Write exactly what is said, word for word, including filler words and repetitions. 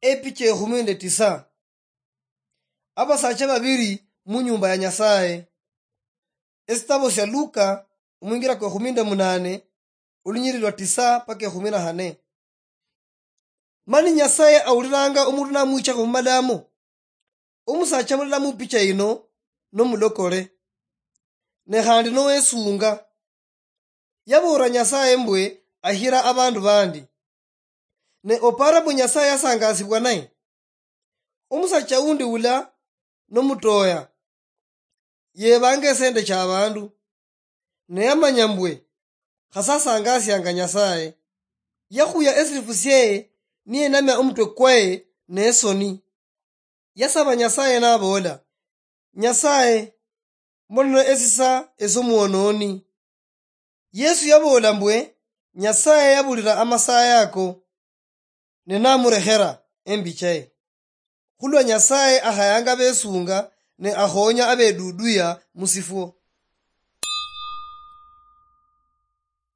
Epicha ekhumi nende tisa. Abasacha babiri munyumba ya Nyasaye. Esitabo sia Luka, omwingira kwa ekhumi nende munane, olunyiri lwa tisa paka ekhumi na hane. Mani Nyasaye awuliranga omundu namwichakho mumalamo. Omusacha mulala mupicha yino nomulokole, ne khandi nowesunga. Yaboolera Nyasaye mbwe ahira abandu bandi. Ne opara mbu Nyasaye yasangasibwa naye? Omusacha undi ula nomutoya yebanga esende cha abandu, ne yamanya mbwe khasasangasianga Nyasaye. Yakhuya esilifu sieye niyenamia omutwe kwaye nesoni. Yasaba Nyasaye naboola, "Nyasaye, mbonera esisa esomuononi." Yesu yaboola mbwe Nyasaye yabulira amasaye ako, ne namurekhera embi chaye. Khulwa Nyasaye akhayanga besunga ne akhonya abeduduya musifwo.